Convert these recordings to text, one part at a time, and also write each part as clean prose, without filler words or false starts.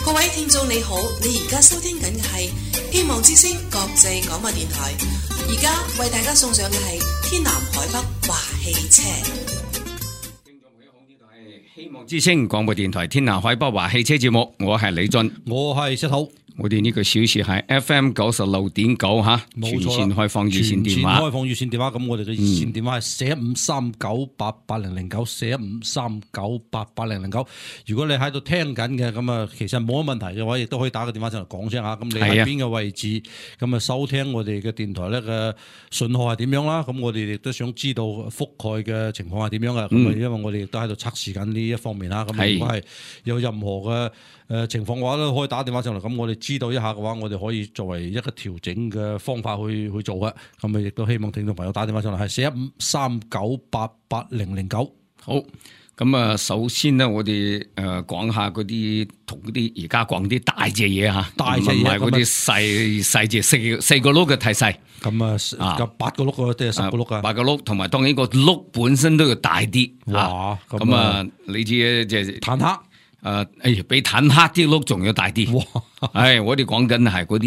各位聽眾你好，你而家收聽緊嘅係希望之聲國際廣播電台，而家為大家送上嘅係天南海北華汽車。聽眾朋友好，呢度係希望之聲廣播電台天南海北華汽車節目，我係李俊，我係石頭。我哋呢個小時係 FM 96.9吓，全線開放熱線電話。開放熱線電話，咁我哋嘅熱線電話係4539880009，4539880009。如果你喺度聽緊嘅，咁啊，其實冇乜問題嘅話，亦都可以打個電話上嚟講聲下。咁你喺邊個位置，咁啊收聽我哋嘅電台咧嘅信號係點樣啦？咁我哋亦都想知道覆蓋嘅情況係點樣嘅。咁啊，因為我哋亦都喺度測試緊呢一方面啦。咁如果係有任何嘅情況嘅話，都可以打電話上嚟。咁我哋知道一下嘅話，我哋可以作為一個調整嘅方法去做嘅。咁啊，亦都希望聽眾朋友打電話上嚟，係4539880009。好，咁啊，首先咧，我哋講下嗰啲同嗰啲而家講啲大隻嘢吓，大隻嘢，唔係嗰啲細隻四個轆嘅太細。咁啊，8個轆啊，定係10個轆啊？8個轆，同埋當然個轆本身都要大啲。哇！咁啊，你知即係坦克。比坦克啲轆仲要大啲。我哋講緊係嗰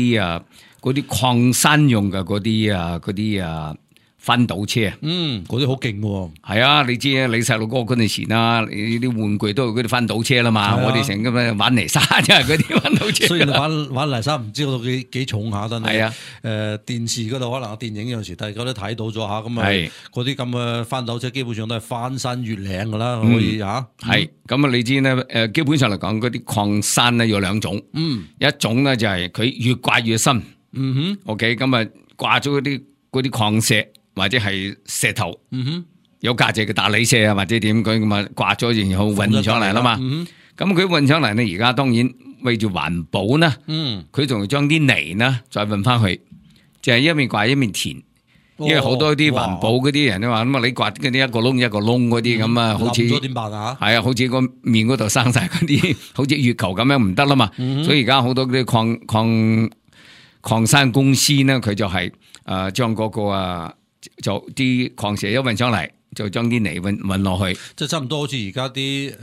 啲礦山用嘅嗰啲翻斗車。嗰啲好勁喎。係啊，你知啊，你細路哥嗰陣時啦，你啲玩具都係嗰啲翻斗車啦嘛。我哋成日咁玩泥沙，即係嗰啲翻斗車。雖然玩泥沙唔知道幾重下，但係啊，電視嗰度可能電影有陣時大家都睇到咗下，咁啊嗰啲咁嘅翻斗車基本上都係翻山越嶺噶啦，可以吓。係咁啊，你知咧，基本上嚟講，嗰啲礦山咧有兩種。一種咧就係佢越掛越深。OK， 咁啊掛咗嗰啲礦石。或者係石頭，有價值嘅大理石啊，或者點佢咁啊掛咗，然後運上嚟啦嘛。咁佢運上嚟呢，而家當然為住環保呢，佢仲要將啲泥呢再運翻去，就係一面掛一面填。因為好多啲環保嗰啲人都話咁啊，你掛嗰啲一個窿一個窿嗰啲咁啊，好似點辦啊？係啊，好似個面嗰度生晒嗰啲，好似月球咁樣唔得啦嘛。所以而家好多啲礦山公司呢，佢就係將嗰個就啲礦石一運上嚟，就將啲泥運落去，即係差唔多好似而家啲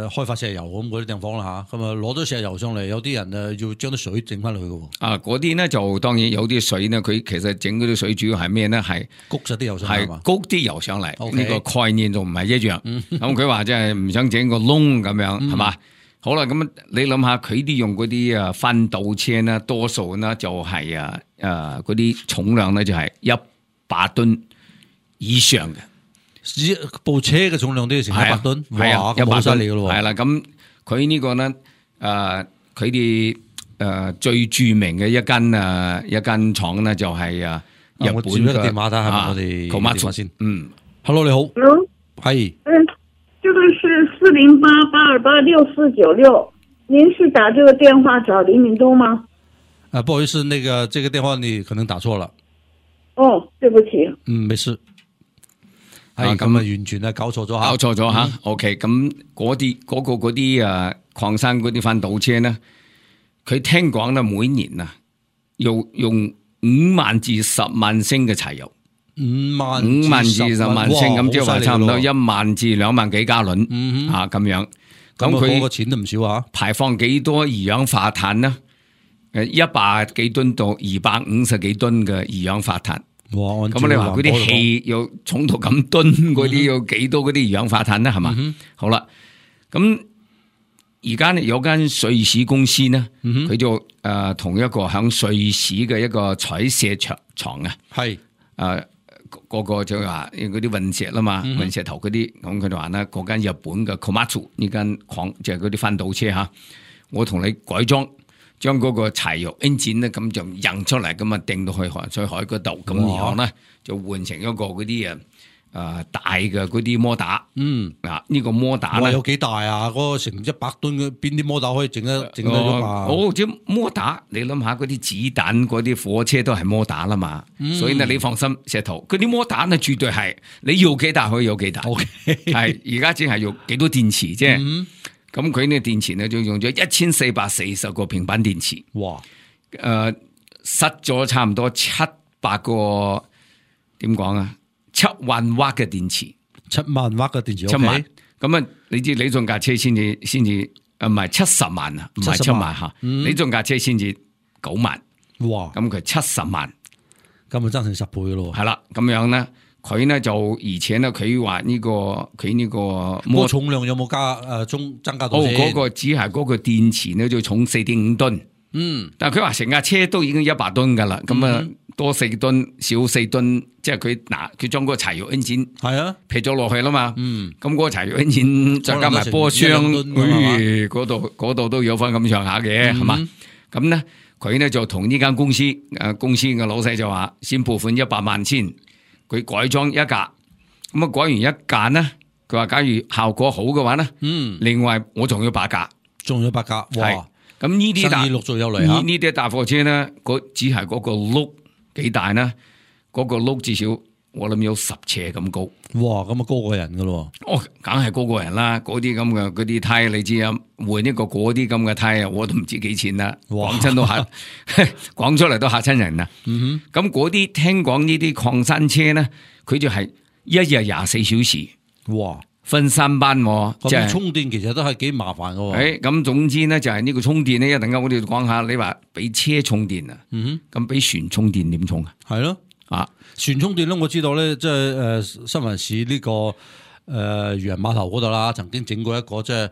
開發石油咁嗰啲地方啦吓，咁啊攞咗石油上嚟，有啲人要將啲水整翻去嘅。嗰啲呢就當然有啲水呢，佢其實整嗰啲水主要係咩呢？係谷實啲油上嚟，係谷啲油上嚟。呢個概念仲唔係一樣。咁佢話即係唔想整個窿咁樣，係嘛？好啦，咁你諗下佢啲用嗰啲翻斗車呢，多數呢就係嗰啲重量呢就係100噸以上嘅，部車嘅重量都要成100噸，係啊，100噸嚟嘅咯。係啦，咁佢呢個呢，佢哋最著名嘅一間廠呢，就係日本嘅。我接一個電話睇下我哋講乜先。Hello 你好。Hello。係。這個是408-828-6496，您是打這個電話找林明東嗎？不好意思，這個電話你可能打錯了。哦，對不起。沒事。係咁啊，完全係搞錯咗吓。OK， 咁嗰啲礦山嗰啲翻斗車咧，佢聽講咧每年啊，用5萬至10萬升嘅柴油。5萬至10萬升，咁即係話差唔多1萬至2萬幾加侖咁樣。咁佢個錢都唔少啊！排放幾多二氧化碳呢？100幾噸到250幾噸嘅二氧化碳。哇！咁你話嗰啲氣要重到咁噸嗰啲，要幾多嗰啲二氧化碳呢？係嘛？好啦，咁而家有間瑞士公司呢，佢就同一個響瑞士嘅一個採石廠啊，係個個就話嗰啲運石啦嘛，運石頭嗰啲，咁佢就話咧，嗰間日本嘅 Komatsu 呢間礦就係嗰啲翻斗車吓，我同你改裝，將嗰個柴油 engine 咧咁就印出嚟，咁啊掟到去海水海嗰度，咁然後咧就換成一個嗰啲大嘅嗰啲摩打。呢個摩打咧有幾大啊？嗰個成100噸嘅邊啲摩打可以整得喐啊？即摩打，你諗下嗰啲子彈嗰啲火車都係摩打啦嘛，所以咧你放心，石頭嗰啲摩打咧絕對係你要幾大可以有幾大。係而家只係用幾多電池啫。咁佢呢電池咧就用咗1440個平板電池。哇！塞咗差唔多700個點講啊？7萬瓦嘅電池，7萬瓦嘅電池，7萬。咁啊，你知你仲架車先至唔係70萬啊，唔係7萬吓，你仲架車先至9萬，哇！咁佢70萬，咁咪增成10倍咯。係啦，咁樣咧，佢咧就而且咧，佢話呢個佢呢個重量有冇增加到先？嗰個只係嗰個電池咧就重4.5噸，但係佢話成架車都已經100噸噶啦，咁啊多4噸，少4噸，即係佢將嗰個柴油 engine 係啊劈咗落去啦嘛，咁嗰個柴油 engine再加埋波箱，嗰度都有翻咁上下嘅，係嘛？咁咧佢咧就同呢間公司嘅老細就話先撥款100萬先，佢改裝一架，咁啊改完一架咧，佢話假如效果好嘅話咧，另外我仲要8架，哇！咁呢啲生意陸續有嚟啊！呢啲大貨車咧，只係嗰個轆幾大咧，嗰個轆至少我諗有10尺咁高。哇！咁啊高過人噶咯？哦，梗係高過人啦！嗰啲咁嘅嗰啲胎，你知啊，換一個嗰啲咁嘅胎啊，我都唔知幾錢啦。講親都嚇，講出嚟都嚇親人啊！咁嗰啲聽講呢啲礦山車咧，佢就係一日24小時。哇！分3班，即係充電其實都係幾麻煩嘅。咁總之咧就係呢個充電咧，一陣間我哋講下，你話俾車充電啊，咁俾船充電點充啊？係咯，船充電咧，我知道咧，即係新聞市呢個漁人碼頭嗰度啦，曾經整過一個即係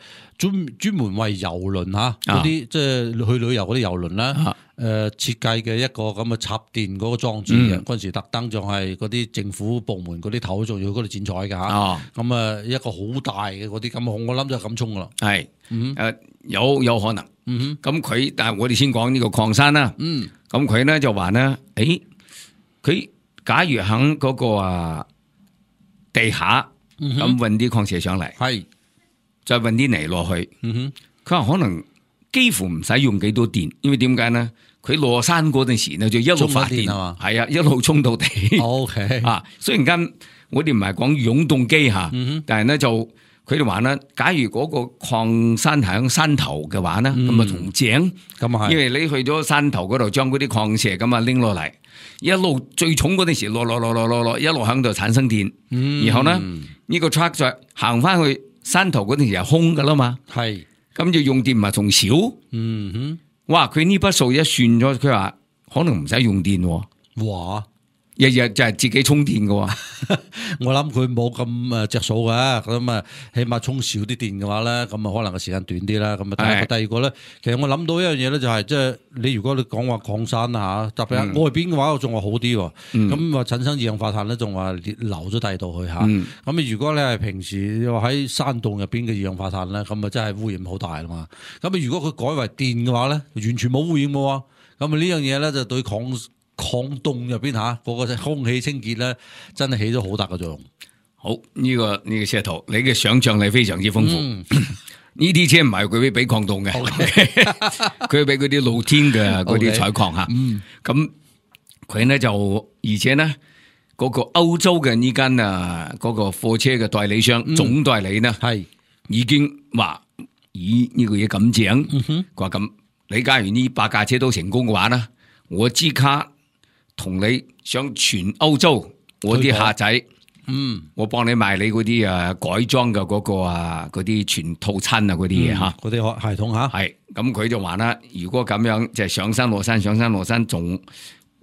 專門為遊輪吓嗰啲即係去旅遊嗰啲遊輪啦，設計嘅一個咁嘅插電嗰個裝置嘅，嗰陣時特登仲係嗰啲政府部門嗰啲頭仲要嗰度剪彩嘅吓，咁啊一個好大嘅嗰啲咁，我諗就係咁充噶啦，係有可能，咁佢但係我哋先講呢個礦山啦，咁佢咧就話咧，佢假如喺嗰個地下咁運啲礦石上嚟，係再運啲泥落去，佢話可能幾乎唔使用幾多電，因為點解咧？佢落山嗰陣時咧就一路發電，係啊，一路充到地。OK 啊，雖然間我哋唔係講永動機吓，但係咧就佢哋話咧，假如嗰個礦山喺山頭嘅話咧，咁啊同井，因為你去咗山頭嗰度將嗰啲礦石咁啊拎落嚟，一路最重嗰陣時落，一路喺度產生電，然後咧呢個 truck 再行翻去山頭嗰陣時係空噶啦嘛，係咁就用電咪仲少，哇！佢呢筆數一算咗，佢話可能唔使用電，哇！日日就係自己充電嘅，我諗佢冇咁着數嘅，咁啊起碼充少啲電嘅話咧，咁啊可能個時間短啲啦。咁啊第二個咧，其實我諗到一樣嘢咧，就係即係你如果你講話礦山啊吓，特別係外邊嘅話，我仲話好啲，咁話產生二氧化碳咧，仲話流咗第二度去吓。咁如果你係平時話喺山洞入邊嘅二氧化碳咧，咁啊真係污染好大啦嘛。咁啊如果佢改為電嘅話咧，完全冇污染嘅，咁啊呢樣嘢咧就對礦洞入邊吓嗰個空氣清潔咧，真係起咗好大嘅作用。好，呢個石頭，你嘅想象力非常之豐富。呢啲車唔係佢俾礦洞嘅，佢俾嗰啲露天嘅嗰啲採礦吓。咁佢咧就而且咧嗰個歐洲嘅呢間嗰個貨車嘅代理商總代理呢係已經話以呢個嘢咁整，佢話咁你假如呢8架車都成功嘅話呢，我即刻同你上全歐洲，我啲客仔，我幫你賣你嗰啲改裝嘅嗰個嗰啲全套餐嗰啲嘢吓，嗰啲系統吓，係咁佢就話啦，如果咁樣就係上山落山，仲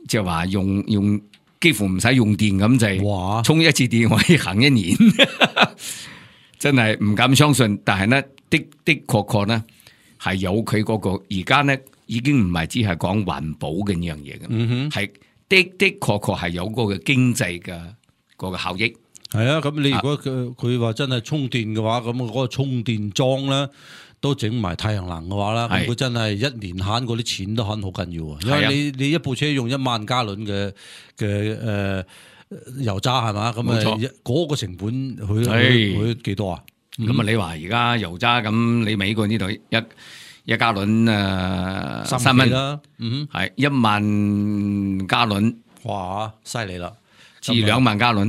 即係話用幾乎唔使用電咁就係，充一次電可以行1年，真係唔敢相信。但係呢的確呢係有佢嗰個而家呢已經唔係只係講環保嘅呢樣嘢嘅，係。的確係有嗰個經濟嘅嗰個效益。係啊，咁你如果佢話真係充電嘅話，咁嗰個充電樁咧都整埋太陽能嘅話啦，咁佢真係1年慳嗰啲錢都慳好緊要啊！因為你一部車用1萬加侖嘅油渣係嘛，咁啊嗰個成本佢幾多啊？咁啊你話而家油渣咁，你美國呢度一加侖3蚊啦，係1萬加侖，哇，犀利啦！至2萬加侖，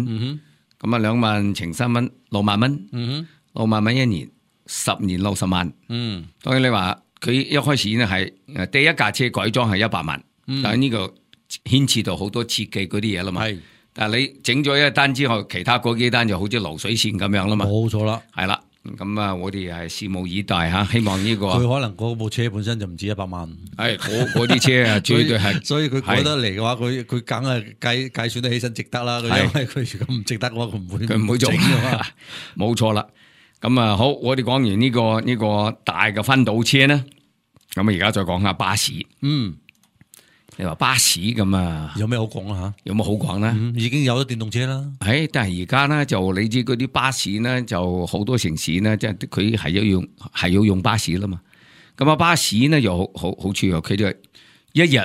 咁啊2萬乘3蚊，6萬蚊，6萬蚊1年，10年60萬。當然你話佢一開始呢係第一架車改裝係100萬，但係呢個牽涉到好多設計嗰啲嘢啦嘛。但係你整咗一單之後，其他嗰幾單就好似流水線咁樣啦嘛。冇錯啦，係啦。咁啊，我哋係拭目以待吓，希望呢個佢可能嗰部車本身就唔止100萬，係嗰啲車啊，絕對係，所以佢改得嚟嘅話，佢梗係計算得起身值得啦。因為佢如果唔值得嘅話，佢唔會做，冇錯啦。咁啊，好，我哋講完呢個大嘅分島車咧，咁啊，而家再講下巴士。你話巴士咁啊，有咩好講啊？有冇好講咧？已經有咗電動車啦。但係而家咧就你知嗰啲巴士咧，就好多城市咧，即係佢係要用巴士啦嘛。咁啊，巴士咧又好處啊，佢哋一日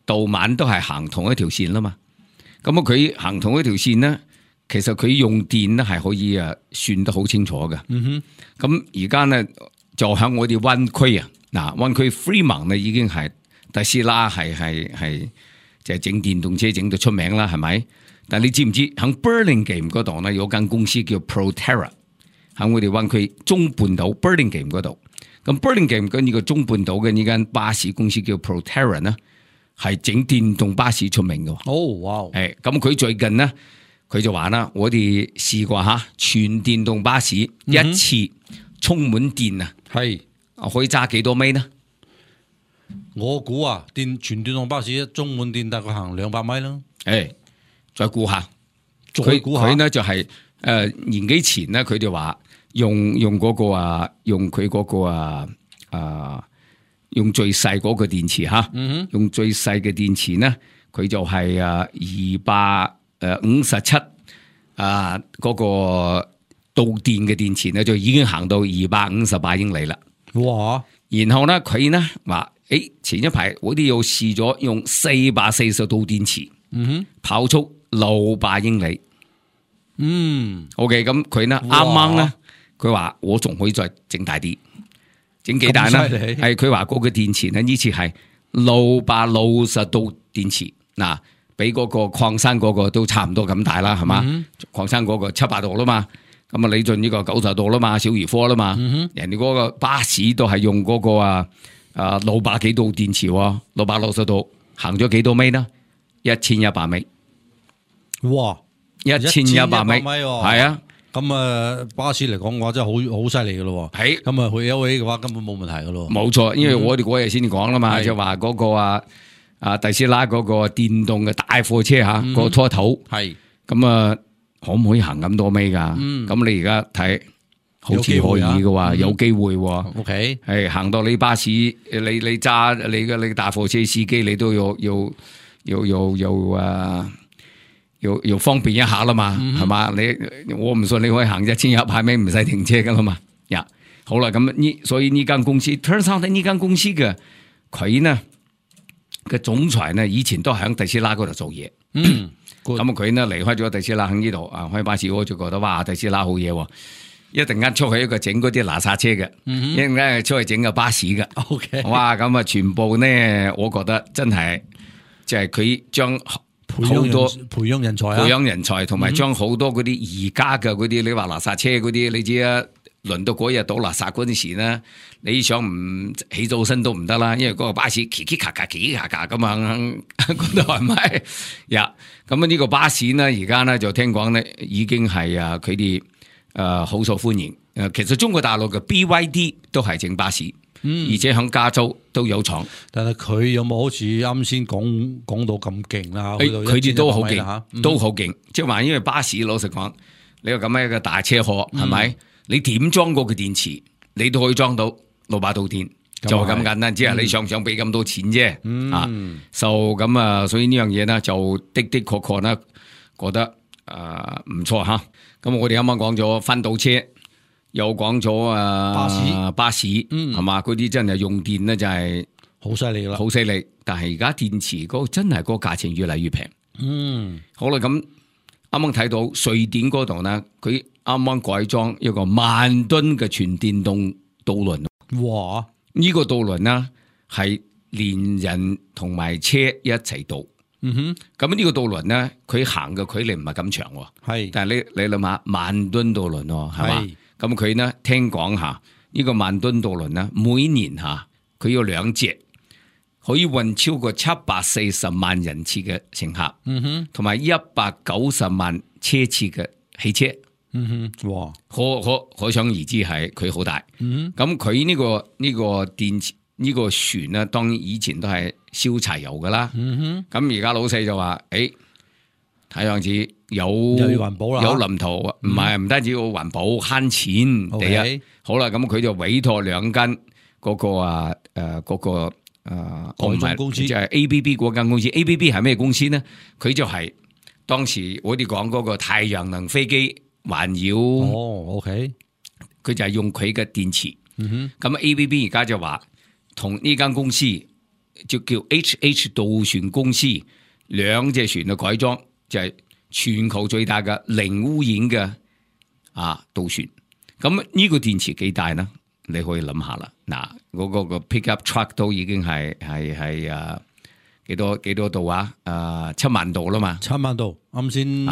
到晚都係行同一條線啦嘛。咁啊，佢行同一條線咧，其實佢用電咧係可以算得好清楚嘅。咁而家咧就喺我哋灣區啊，嗱灣區 Fremont 咧已經係。特斯拉係就係整電動車整到出名啦，係咪？但你知唔知喺 Burlingame 嗰度咧有間公司叫 Proterra， 喺我哋灣區中半島 Burlingame 嗰度。咁 Burlingame 跟呢個中半島嘅呢間巴士公司叫 Proterra 呢，係整電動巴士出名嘅。哇！咁佢最近呢，佢就話啦，我哋試過全電動巴士一次充滿電啊，可以揸幾多米呢？我估全電動巴士一充滿電大概行200米啦。再估下，佢呢就係年幾前呢，佢哋話用嗰個用佢嗰個用最細嗰個電池用最細嘅電池呢，佢就係257嗰個導電嘅電池呢，就已經行到258英里啦。哇！然後呢，佢呢話。前一排我哋又試咗用440度電池，跑速600英里。OK， 咁佢呢啱啱呢，佢話我仲可以再整大啲，整幾大呢？係佢話嗰個電池呢，呢次係660度電池，嗱，比嗰個礦山嗰個都差唔多咁大啦，係嘛？礦山嗰個700度啦嘛，咁啊李俊呢個90度啦嘛，小兒科啦嘛，人哋嗰個巴士都係用嗰個600幾度電池，660度行咗幾多米呢？1100米。哇！1100米，係啊。咁巴士嚟講嘅話真係好犀利噶咯。係。咁去 LA 嘅話根本冇問題噶咯。冇錯，因為我哋嗰日先講啦嘛，就話嗰個特斯拉嗰個電動嘅大貨車個拖頭。係。咁可唔可以行咁多米噶？咁你而家睇。好似可以嘅喎，有機會喎。OK，係行到你巴士，你揸你嘅大貨車司機，你都要方便一下啦嘛，係嘛？我唔信你可以行1100米唔使停車噶啦嘛。好啦，咁所以呢間公司 turns out 呢間公司嘅佢呢嘅總裁呢，以前都喺特斯拉嗰度做嘢。咁佢呢離開咗特斯拉喺呢度開巴士，我就覺得哇，特斯拉好嘢喎。一陣間出去一個整嗰啲垃圾車嘅，一陣間出去整個巴士嘅。OK， 哇！咁全部呢，我覺得真係，即係佢將好多培養人才，同埋將好多嗰啲而家嘅嗰啲，你話垃圾車嗰啲，你知啊，輪到嗰日倒垃圾嗰陣時呢，你想唔起早身都唔得啦，因為嗰個巴士咔咔咁樣，嗰度係咪？咁呢個巴士呢，而家呢就聽講呢，已經係佢哋。好受歡迎。其實中國大陸嘅 BYD 都係整巴士，而且喺加州都有廠。但係佢有冇好似啱先講到咁勁啦？佢哋都好勁，都好勁。即係話，因為巴士老實講，你話咁樣一個大車殼係咪？你點裝嗰個電池，你都可以裝到600度電，就係咁簡單。只係你想唔想俾咁多錢啫？所以呢樣嘢呢，就的確呢，覺得唔錯吓。咁我哋啱啱講咗分島車，又講咗巴士，係嘛？嗰啲真係用電咧，就係好犀利啦，好犀利。但係而家電池嗰個真係個價錢越嚟越平。好啦，咁啱啱睇到瑞典嗰度呢，佢啱啱改裝一個10000噸嘅全電動渡輪。哇！呢個渡輪呢，係連人同埋車一齊渡。咁呢個渡輪咧，佢行嘅距離唔係咁長，係，但係你諗下10000噸渡輪係嘛？咁佢呢聽講呢個10000噸渡輪呢，每年佢有2隻，可以運超過740萬人次嘅乘客，同埋190萬車次嘅汽車，哇！可想而知係佢好大。咁佢呢個電池呢個船咧，當然以前都係燒柴油噶啦。咁而家老細就話，睇樣子有環保啦，有藍圖，唔單止要環保慳錢。第一，好啦，咁佢就委託2間嗰個改裝公司，即係 ABB 嗰間公司。ABB 係咩公司呢？佢就係當時我哋講嗰個太陽能飛機環繞。OK， 佢就係用佢嘅電池。咁 ABB 而家就話同呢間公司就叫 HH 渡船公司，2隻船嘅改裝就係全球最大嘅零污染嘅渡船。咁呢個電池幾大呢？你可以諗下啦。嗱，嗰個 pickup truck 都已經係幾多度啊？7萬度啦嘛，7萬度。啱先唔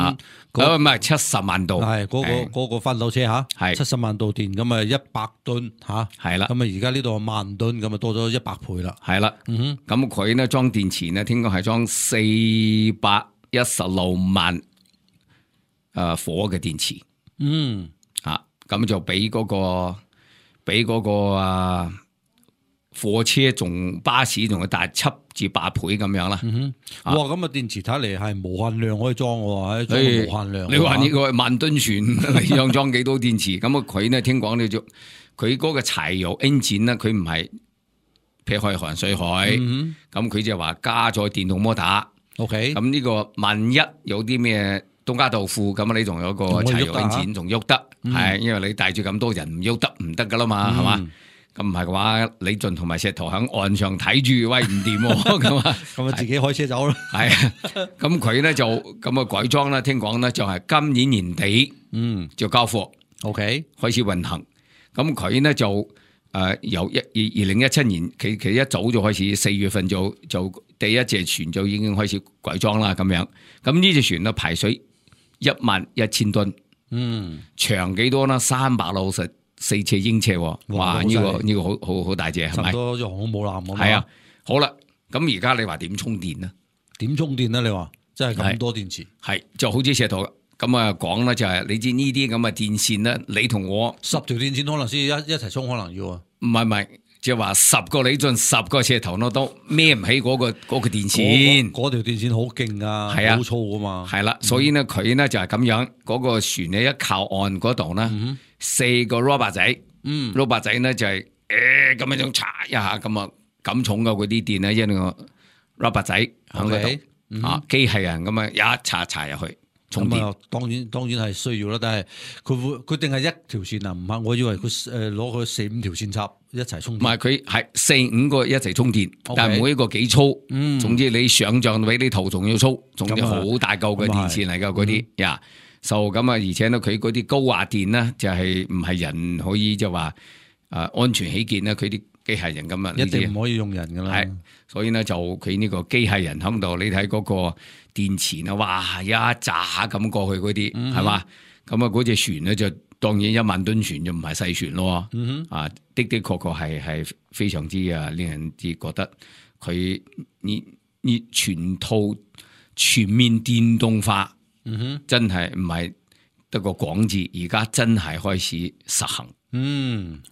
係70萬度，係嗰個翻斗車係70萬度電，咁100噸係啦。咁而家呢度1萬噸，咁多咗100倍啦。係啦，咁佢呢裝電池呢，聽講係裝416萬火嘅電池。咁就比嗰個火車仲巴士仲要大7至8倍咁樣啦。哇！咁電池睇嚟係無限量可以裝喎，裝無限量。你話呢個萬噸船，你想裝幾多電池？咁佢呢聽講佢嗰個柴油 engine 呢，佢唔係劈開環水海，咁佢就話加咗電動摩打。OK， 咁呢個萬一有啲咩東家豆腐咁，你仲有個柴油 engine 仲喐得，係因為你帶住咁多人唔喐得唔得噶啦嘛，係嘛？咁唔係嘅話，李俊同埋石頭喺岸上睇住，喂唔掂咁啊，咁自己開車走咯。係啊，咁佢咧就咁改裝啦，聽講咧就係今年年底就交貨，OK 開始運行。咁佢呢就由2017年，其一早就開始4月份就第一隻船就已經開始改裝啦，咁樣。咁呢隻船咧排水11000噸，長幾多啦？364尺英尺，哇！呢個好大隻，係咪？差唔多隻航空母艦咁。係啊，好啦，咁而家你話點充電呢？點充電呢？你話真係咁多電池？係就好似石頭咁啊講啦，就係你知呢啲咁嘅電線呢，你同我10條電線可能先一齊充，可能要啊？唔係，即係話10個李俊10個石頭咯，都孭唔起嗰個電線。嗰條電線好勁啊，係啊，好粗噶嘛。係啦，所以呢，佢呢就係咁樣，嗰個船呢一靠岸嗰度呢。4個 rubber 仔，rubber 仔呢就係咁樣查一下，咁重嘅嗰啲電呢，因為個 rubber 仔喺嗰度，機械人咁一查入去充電。當然係需要啦，但係佢定係一條線啊？唔係，我以為佢攞佢4-5條線插一齊充電。唔係，佢係4-5個一齊充電，但係每一個幾粗，總之你想象比你頭仲要粗，總之好大嚿嘅電線嚟噶嗰啲呀。就咁而且呢，佢嗰啲高壓電呢，就係唔係人可以就話安全起見呢，佢啲機械人咁一定唔可以用人噶啦。係，所以呢，就佢呢個機械人喺度，你睇嗰個電池啊，哇一揸咁過去嗰啲係嘛？咁嗰隻船呢，就當然1萬噸船就唔係細船咯。的確係非常之令人之覺得佢呢全面電動化。真係唔係得個講字，而家真係開始實行。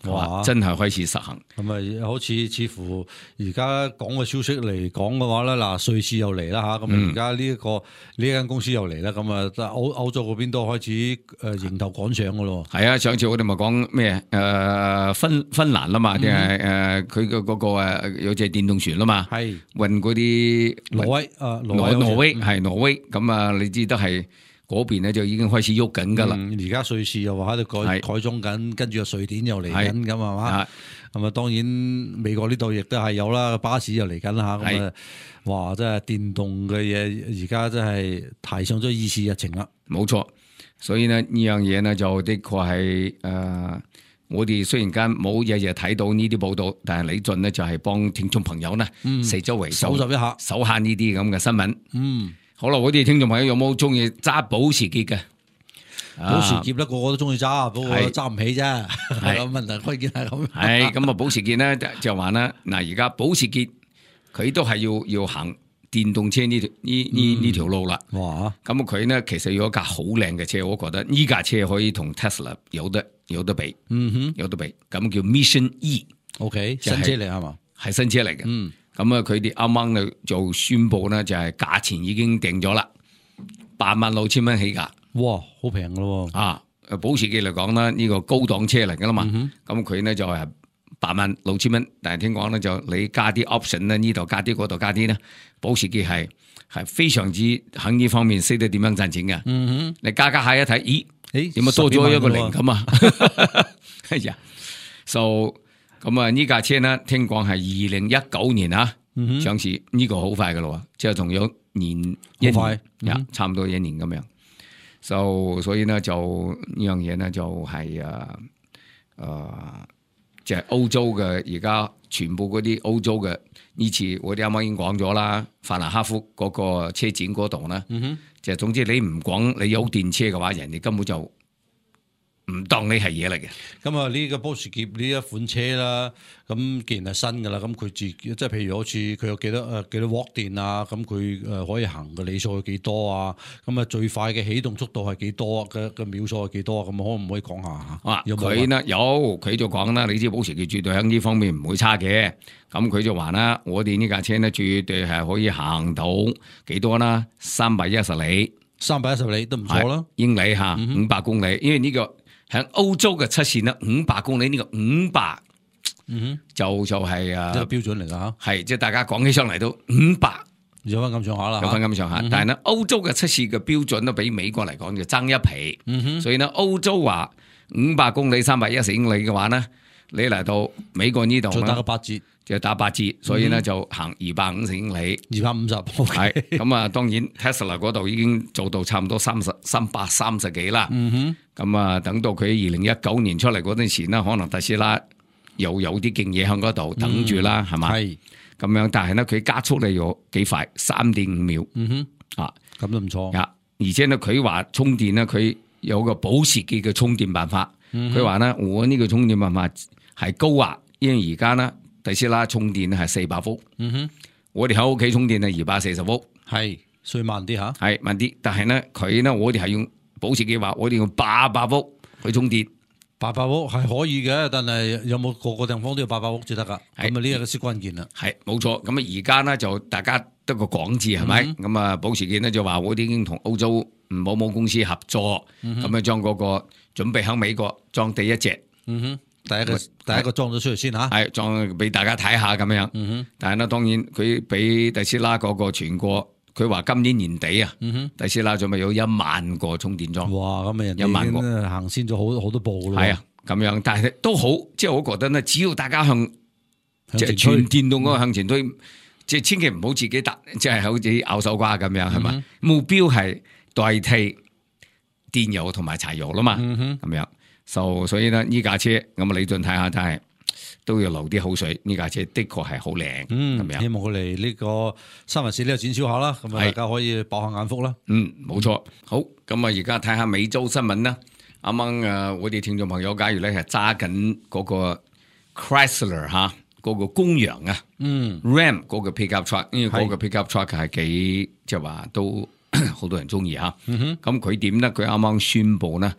哇！真係開始實行。咁好似乎而家講嘅消息嚟講嘅話咧，嗱，瑞士又嚟啦吓，咁而家呢間公司又嚟啦，咁歐洲嗰邊都開始迎頭趕上噶咯。係啊，上次我哋咪講咩？芬蘭啦嘛，定係佢嘅嗰個有隻電動船啦嘛，係運嗰啲挪威係挪威，咁你知得係。嗰邊咧就已經開始喐緊噶啦，而家瑞士又話喺度改裝緊，跟住瑞典又嚟緊咁係嘛，咁當然美國呢度亦都係有啦，巴士又嚟緊啦吓，咁哇真係電動嘅嘢而家真係提上咗議事日程啦。冇錯，所以呢樣嘢呢就的確係我哋雖然間冇日日睇到呢啲報道，但係李俊呢就係幫聽眾朋友呢四周圍搜集一下，搜下呢啲咁嘅新聞。好啦，我哋聽眾朋友有冇中意揸保時捷嘅？保時捷咧，個個都中意揸，不過揸唔起啫。係咁問題，關鍵係咁。係咁啊，保時捷咧就話啦，嗱，而家保時捷佢都係要行電動車呢條路啦。哇！咁佢呢其實有一架好靚嘅車，我覺得呢架車可以同 Tesla 有得比，有得比。咁叫 Mission E，OK， 新車嚟係嘛？係新車嚟嘅。咁啊，佢哋啱啱就宣布呢，就係價錢已經定咗啦，86,000蚊起價。哇，好平噶咯！啊，保時捷嚟講啦，呢個高檔車嚟噶啦嘛。咁佢呢就係86,000蚊，但係聽講咧就你加啲 option 咧，呢度加啲，嗰度加啲咧，保時捷係非常之喺呢方面識得點樣賺錢嘅。你加下一睇，咦？點解多咗一個零咁啊？係呀，so 咁啊呢架車呢，聽講係2019年啊上市，呢個好快噶咯，即係仲有一年，差唔多1年咁樣。所以呢就呢樣嘢呢就係即係歐洲嘅，而家全部嗰啲歐洲嘅呢次我哋啱啱已經講咗啦，法蘭克福嗰個車展嗰度呢，就係總之你唔講你有電車嘅話，人哋根本就唔當你係嘢嚟嘅。咁啊呢個保時捷呢一款車啦，咁既然係新噶啦，咁佢自己即係譬如好似佢有幾多瓦電啊，咁佢可以行嘅里數係幾多啊？咁啊最快嘅起動速度係幾多嘅秒數係幾多啊？咁可唔可以講下啊？佢呢佢就講啦，你知保時捷絕對喺呢方面唔會差嘅。咁佢就話啦，我哋呢架車呢絕對係可以行到幾多啦？310里，310里都唔錯啦，英里吓，500公里，因為呢個喺歐洲嘅測試呢，500公里呢個500。就係一個標準嚟噶吓，係即係大家講起上嚟都500有翻咁上下啦，有翻咁上下。但係呢，歐洲嘅測試嘅標準都比美國嚟講就爭一皮。所以呢，歐洲話500公里310英里嘅話呢，你嚟到美國呢度就打個8折，就打8折。所以呢，就行250英里，250係咁啊。當然 Tesla 嗰度已經做到差唔多330幾啦。咁啊，等到佢2019年出嚟嗰陣時呢，可能特斯拉又有啲勁嘢喺嗰度等住啦，係嘛？係咁樣，但係咧佢加速力有幾快，3.5秒。咁都唔錯。而且咧佢話充電咧，佢有個保時捷嘅充電辦法。佢話咧，我呢個充電辦法係高壓，因為而家咧特斯拉充電係400伏。我哋喺屋企充電係240伏，係所以慢啲吓，係慢啲。但係咧佢咧，我哋係用保時捷話，我哋用800伏去充電。800伏係可以嘅，但係有冇個地方都要800伏至得噶？咁啊呢個先關鍵啦。係冇錯，咁啊而家咧就大家得個講字係咪？咁啊保時捷咧就話我哋已經同歐洲某某公司合作，咁啊將嗰個準備喺美國裝第一隻。第一個裝咗出嚟先吓，係裝俾大家睇下咁樣。但係咧當然佢俾特斯拉嗰個全國。佢話今年年底啊，特斯拉仲咪有1萬個充電樁。哇！咁啊，人哋已經行先咗好多步咯。係啊，咁樣，但係都好，即係我覺得咧，只要大家向即係全電動嗰個向前推，即係千祈唔好自己即係好似咬手瓜咁樣，係嘛？目標係代替電油同埋柴油啦嘛，咁樣。所以咧呢架車咁啊，李俊睇下真係。都要流啲口水，呢架車的確係好靚，咁樣。希望佢嚟呢個314呢個展銷下啦，咁啊大家可以爆下眼福啦。冇錯。好，咁啊而家睇下美洲新聞啦。啱啱我哋聽眾朋友，假如咧係揸緊嗰個 Chrysler 吓，嗰個公羊啊，Ram 嗰個 pickup truck，因為嗰個 pickup truck 係幾即係話都好多人中意吓。咁佢點咧？佢啱啱宣布咧，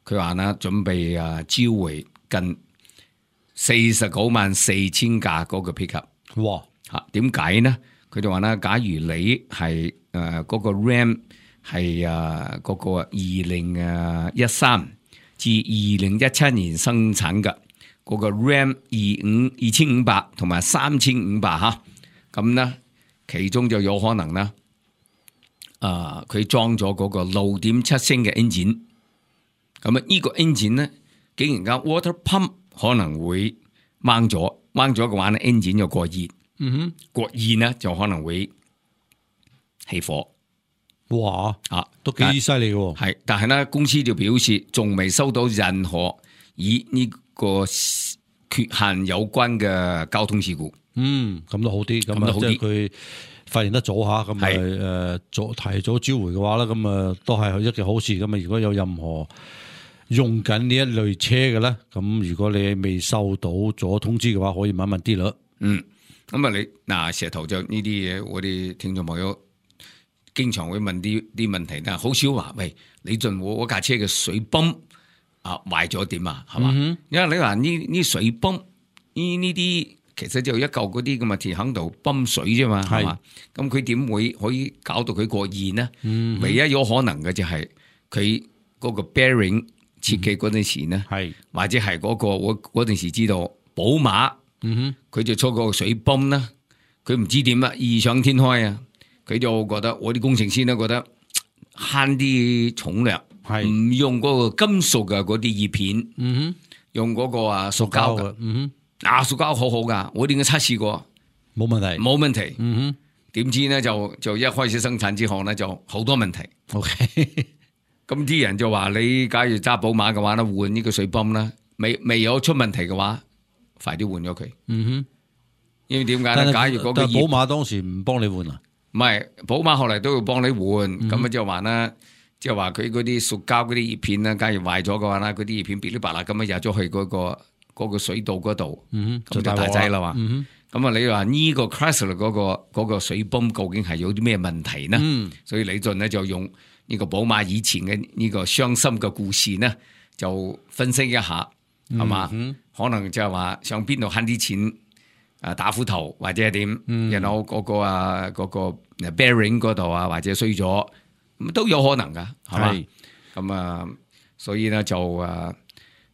佢話咧準備召回近494000架嗰個 pickup。哇！點解呢？佢哋話咧，假如你係嗰個 Ram 係嗰個2013至2017年生產嘅嗰個 Ram 2500同埋3500吓，咁呢其中就有可能呢，佢裝咗嗰個6.7升嘅 engine， 咁啊呢個 engine 呢，竟然間 water pump 可能會掹咗嘅話呢 engine 就過熱，過熱呢就可能會起火。哇！都幾犀利嘅。係，但係呢公司就表示仲未收到任何以呢個缺陷有關嘅交通事故。咁都好啲，咁啊即係佢發現得早下，咁啊提早召回嘅話咧，咁啊都係一件好事。咁啊如果有任何用緊呢一類車嘅咧，咁如果你未收到咗通知嘅話，可以問一問啲啦。咁啊你嗱石頭就呢啲嘢，我哋聽眾朋友經常會問啲問題，但係好少話喂，李俊我架車嘅水泵啊壞咗點啊，係嘛？因為你話呢水泵呢啲其實就一嚿嗰啲咁嘅鐵喺度泵水啫嘛，係嘛？咁佢點會可以搞到佢過熱呢？唯一有可能嘅就係佢嗰個 bearing 設計嗰陣時呢，或者係嗰個我嗰陣時知道寶馬，佢就出個水泵啦，佢唔知點啊，異想天開啊，佢就覺得我啲工程師都覺得慳啲重量，唔用嗰個金屬嘅嗰啲葉片，用嗰個啊塑膠嘅，塑膠好好噶，我點解測試過，冇問題，點知呢就一開始生產之後呢就好多問題。咁啲人就話你假如揸寶馬嘅話咧，換呢個水泵啦，未有出問題嘅話，快啲換咗佢。因為點解咧？假如嗰個寶馬當時唔幫你換啊？唔係，寶馬後嚟都要幫你換。咁就話啦，即係話佢嗰啲塑膠嗰啲葉片啦，假如壞咗嘅話啦，嗰啲葉片噼哩啪啦咁樣入咗去嗰個水道嗰度，咁就大劑啦嘛。咁啊，你話呢個 Chrysler 嗰個水泵究竟係有啲咩問題呢？所以李俊呢就用呢個寶馬以前嘅呢個傷心嘅故事呢，就分析一下，係嘛？可能就係話上邊度慳啲錢打斧頭或者係點，然後嗰個 bearing 嗰度啊，或者衰咗，咁都有可能噶，係嘛？咁啊，所以呢就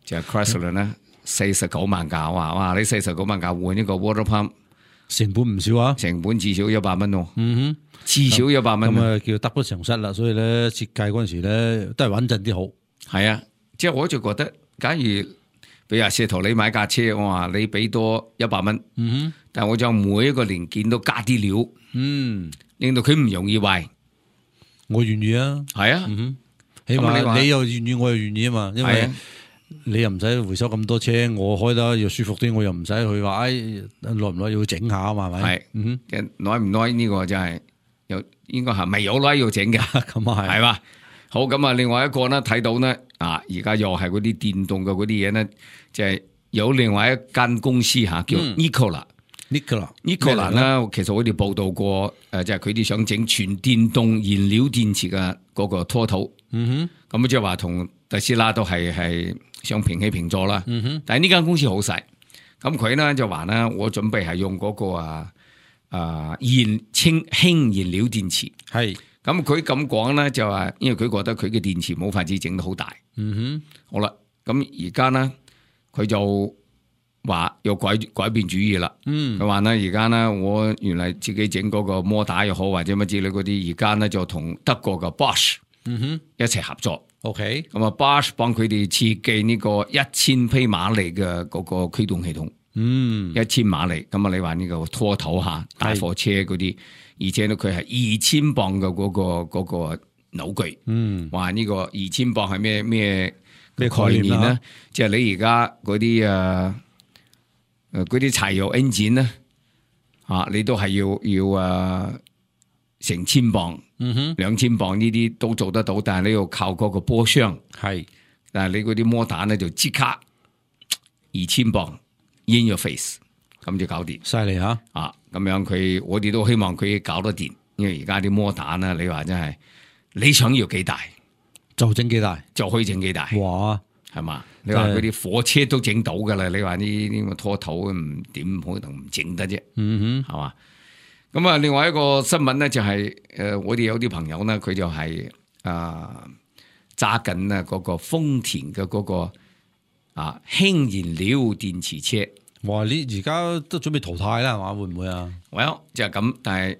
Chrysler 呢49萬架，哇！你49萬架換呢個 water pump， 成本唔少啊，成本至少100蚊喎。至少100蚊，咁啊叫得不償失啦。所以咧設計嗰陣時咧都係穩陣啲好。係啊，即係我就覺得，假如比如石頭你買架車，我話你俾多100蚊，但係我就每一個零件都加啲料，令到佢唔容易壞，我願意啊。係啊，起碼你又願意，我又願意啊嘛。因為你又唔使回收咁多車，我開得又舒服啲，我又唔使去話耐唔耐要整下啊嘛，係咪？係，耐唔耐呢個就係。應該係未有耐要整嘅，咁啊係嘛？好，咁啊，另外一個呢睇到呢而家又係嗰啲電動嘅嗰啲嘢呢，就係有另外一間公司叫 Nikola 呢，其實我哋報道過，就係佢哋想整全電動燃料電池嘅嗰個拖頭，咁即係話同特斯拉都係想平起平坐啦。但係呢間公司好細，咁佢呢就話呢，我準備係用嗰個氫燃料電池，係咁佢咁講咧，就話因為佢覺得佢嘅電池冇法子整得好大，好啦，咁而家咧佢就話要改變主意啦，佢話咧而家咧我原來自己整嗰個摩打又好或者乜之類嗰啲，而家咧就同德國嘅 Bosch 一齊合作，OK，咁啊 Bosch 幫佢哋設計呢個1000匹馬力嘅嗰個驅動系統。1000馬力，咁啊！你話呢個拖頭下大貨車嗰啲，而且咧佢係2000磅嘅嗰個扭矩，話呢個2000磅係咩概念咧？即係你而家嗰啲柴油 engine 咧，你都係要成千磅、2000磅呢啲都做得到，但係你要靠嗰個波箱，但係你嗰啲摩打咧就即刻2000磅。In your face， 咁就搞掂，犀利吓！咁樣我哋都希望佢搞得掂，因為而家啲摩打呢，你話真係你想要幾大就整幾大，就可以整幾大，哇！係嘛？你話嗰啲火車都整到噶啦，你話呢個拖頭唔點可能唔整得啫？係嘛？咁啊，另外一個新聞呢，就係我哋有啲朋友呢，佢就係揸緊啊嗰個豐田嘅嗰個。氫燃料電池車，哇！你而家都準備淘汰啦，係嘛？會唔會啊？Well，就係咁，但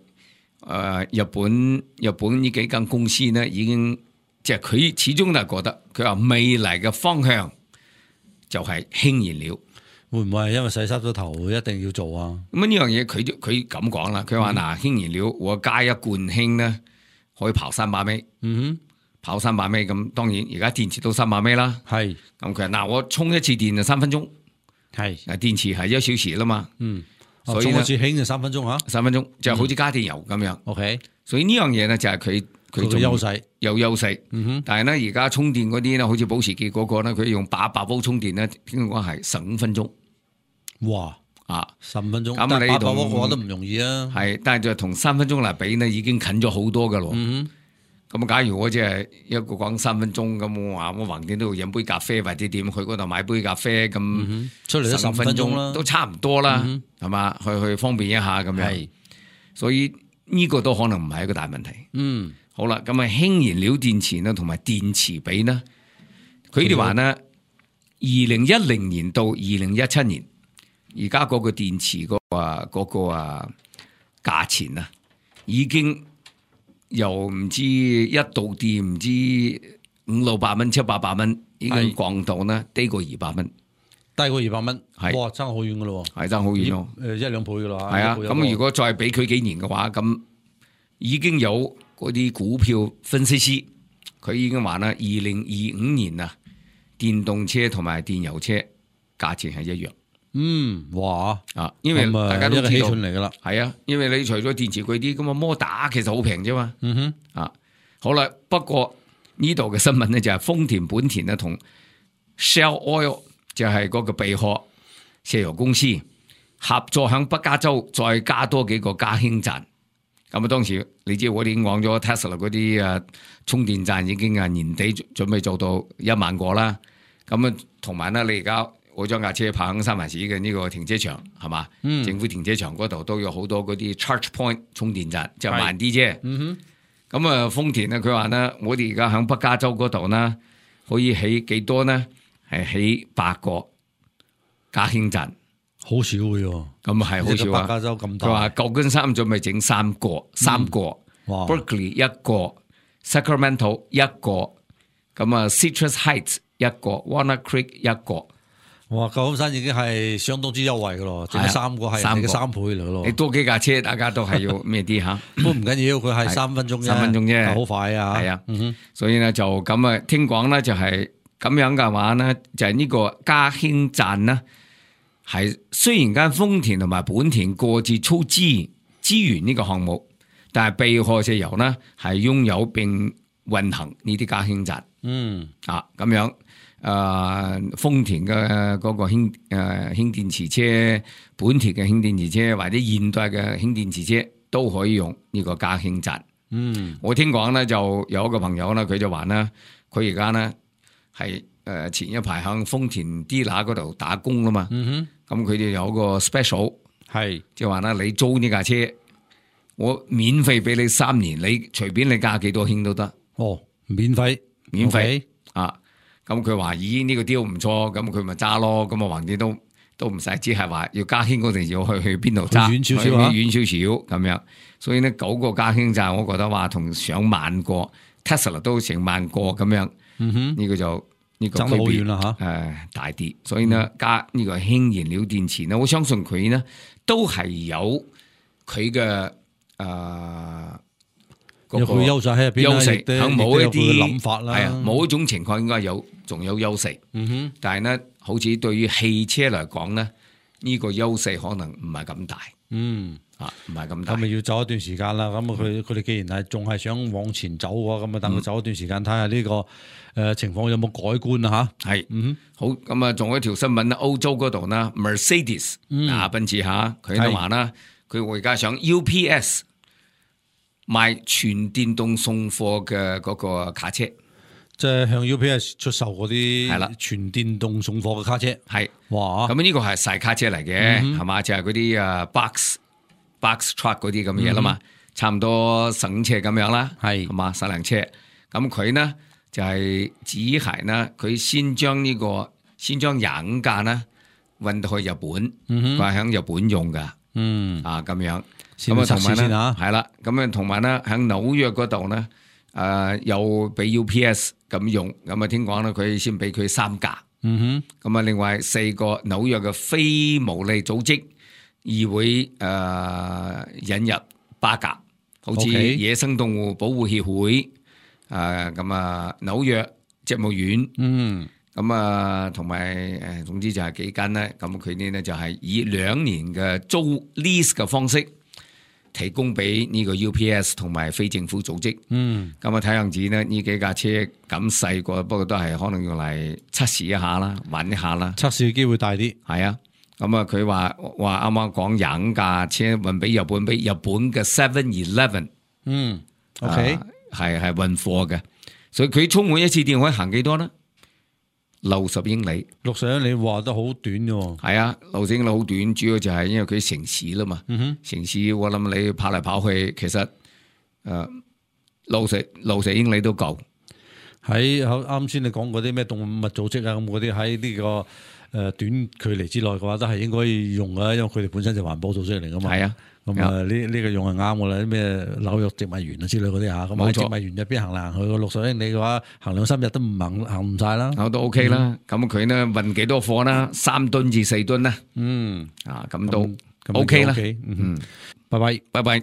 係日本呢幾間公司呢，已經即係佢始終都係覺得，佢話未來嘅方向就係氫燃料，會唔會係因為洗濕咗頭一定要做啊？咁呢樣嘢佢咁講啦，佢話嗱，氫燃料我加一罐氫呢，可以跑300米。跑300米咁，當然而家電池都300米啦。係咁佢話我充一次電就3分鐘。係電池係1小時啦嘛。所以充一次氫就3分鐘吓。3分鐘就好似加電油咁樣。OK，所以呢樣嘢咧就係佢優勢，有優勢。但係咧而家充電嗰啲咧，好似保時捷嗰個咧，佢用800V充電咧，聽講係15分鐘。哇！ 15分鐘，咁你800瓦嘅話都唔容易啊。係，但係就同3分鐘嚟比呢，已經近咗好多噶咯。咁假如我即係一個講3分鐘咁，我話我橫掂都要飲杯咖啡或者點，去嗰度買杯咖啡咁，出嚟都10分鐘啦，都差唔多啦，係嘛？去方便一下咁樣。所以呢個都可能唔係一個大問題。好啦，咁啊氫燃料電池呢同埋電池比呢，佢哋話呢，2010年到2017年，而家嗰個電池嗰個價錢啊，已經由唔知一度電唔知500-600蚊、700-800蚊，已經降到呢低過200蚊，低過200蚊，係哇，爭好遠噶咯，係爭好遠咯，1-2倍噶啦，係啊。咁如果再俾佢幾年嘅話，咁已經有嗰啲股票分析師，佢已經話啦，2025年啊，電動車同埋電油車價錢係一樣。哇啊，因為大家都知道嚟噶啦，係啊，因為你除咗電池貴啲，咁啊摩打其實好平啫嘛。好啦，不過呢度嘅新聞咧就係豐田、本田咧同 Shell Oil 就係嗰個貝殼石油公司合作響北加州再加多幾個加氫站。咁啊，當時你知我哋已經講咗 Tesla 嗰啲充電站已經年底準備做到1萬個啦。咁啊，同埋咧，你而家我將架車泊喺三藩市嘅呢個停車場係嘛？政府停車場嗰度都有好多嗰啲 charge point 充電站，就慢啲啫。咁啊，豐田咧，佢話咧，我哋而家喺北加州嗰度咧，可以起幾多呢？係起8個加氫站，好少嘅喎。咁係好少啊！北加州咁大，佢話舊金山準備整3個，Berkeley 1個 ，Sacramento 1個，咁啊 Citrus Heights 1個 ，Walnut Creek 1個。哇！舊金山已經係相當之優惠嘅咯，整3個係你嘅3倍嚟咯。你多幾架車，大家都係要咩啲嚇？都唔緊要，佢係3分鐘啫，3分鐘啫，好快啊！係啊，所以咧就咁啊，聽講咧就係咁樣嘅話咧，就係呢個加氫站咧，係雖然間豐田同埋本田各自出資源呢個項目，但係貝殼石油咧係擁有並運行呢啲加氫站。咁樣。豐田嘅嗰個氫電池車，本田嘅氫電池車或者現代嘅氫電池車都可以用呢個加氫站。我聽講咧就有一個朋友咧，佢就話咧，佢而家咧係前一排響豐田 dealer 嗰度打工啦嘛。咁佢哋有個 special 係，即係話咧，你租呢架車，我免費俾你3年，你隨便你加幾多氫都得。免費啊！咁佢話：咦，呢個 deal 唔錯，咁佢咪揸咯。咁啊，橫掂都唔使，只係話要加氫嗰陣要去邊度揸，遠少少遠少少咁樣。所以呢9個加氫站，我覺得話同上萬個 Tesla 都成萬個咁樣。呢個就呢個區別啦大啲。所以呢，加呢個氫燃料電池呢，我相信佢呢都係有佢嘅有佢優勢喺入邊，優勢喺冇一啲諗法啦，係啊，冇一種情況應該仲有優勢。但係呢，好似對於汽車嚟講呢，呢個優勢可能唔係咁大。唔係咁大。咁咪要走一段時間啦。咁佢哋既然係仲係想往前走嘅話，咁啊等佢走一段時間，睇下呢個情況有冇改觀啊嚇。係，好咁啊，仲有一條新聞咧，歐洲嗰度呢 Mercedes 奔馳嚇，佢都話啦，佢會加上 UPS。賣全電動送貨嘅嗰個卡車，即係向 UPS 出售嗰啲係啦，全電動送貨嘅卡車係，哇！咁呢個係細卡車嚟嘅，係嘛？就係嗰啲box truck 嗰啲咁嘅嘢啦嘛，差唔多省車咁樣啦，係嘛？細輛車，咁佢呢就係只係呢，佢先將25架呢運到去日本，佢係響日本用噶，咁樣。咁啊，同埋咧，係啦，咁啊，同埋咧，喺紐約嗰度咧，又俾 UPS 咁用，咁啊，聽講咧，佢先俾佢3架，咁啊，另外4個紐約嘅非牟利組織議會引入8架，好似野生動物保護協會，咁啊，紐約植物園，咁啊，同埋總之就係幾間咧，咁佢哋咧就係以2年嘅租 lease 嘅方式。提供俾呢個 UPS 同埋非政府組織，咁啊睇樣子呢，呢幾架車咁細個，不過都係可能用嚟測試一下啦，玩一下啦，測試嘅機會大啲。係啊，咁啊，佢話啱啱講廿架車運俾日本嘅 7-Eleven， OK， 係運貨嘅，所以佢充滿一次電可以行幾多呢？60英里，60英里話得好短嘅喎。係啊，60英里好短，主要就係因為佢城市啦嘛。城市我諗你跑嚟跑去，其實60英里都夠。喺啱先你講嗰啲咩動物組織啊，咁嗰啲喺呢個短距離之內嘅話，都係應該用嘅，因為佢哋本身就環保組織嚟噶嘛。係啊，咁呢個用係啱嘅啦，啲咩紐約植物園啊之類嗰啲嚇，咁喺植物園入邊行嚟行去個60英里嘅話，行2-3日都唔行唔晒啦。都 OK 啦，咁佢呢運幾多貨啦？3噸至4噸啦。咁都 OK 啦。拜拜。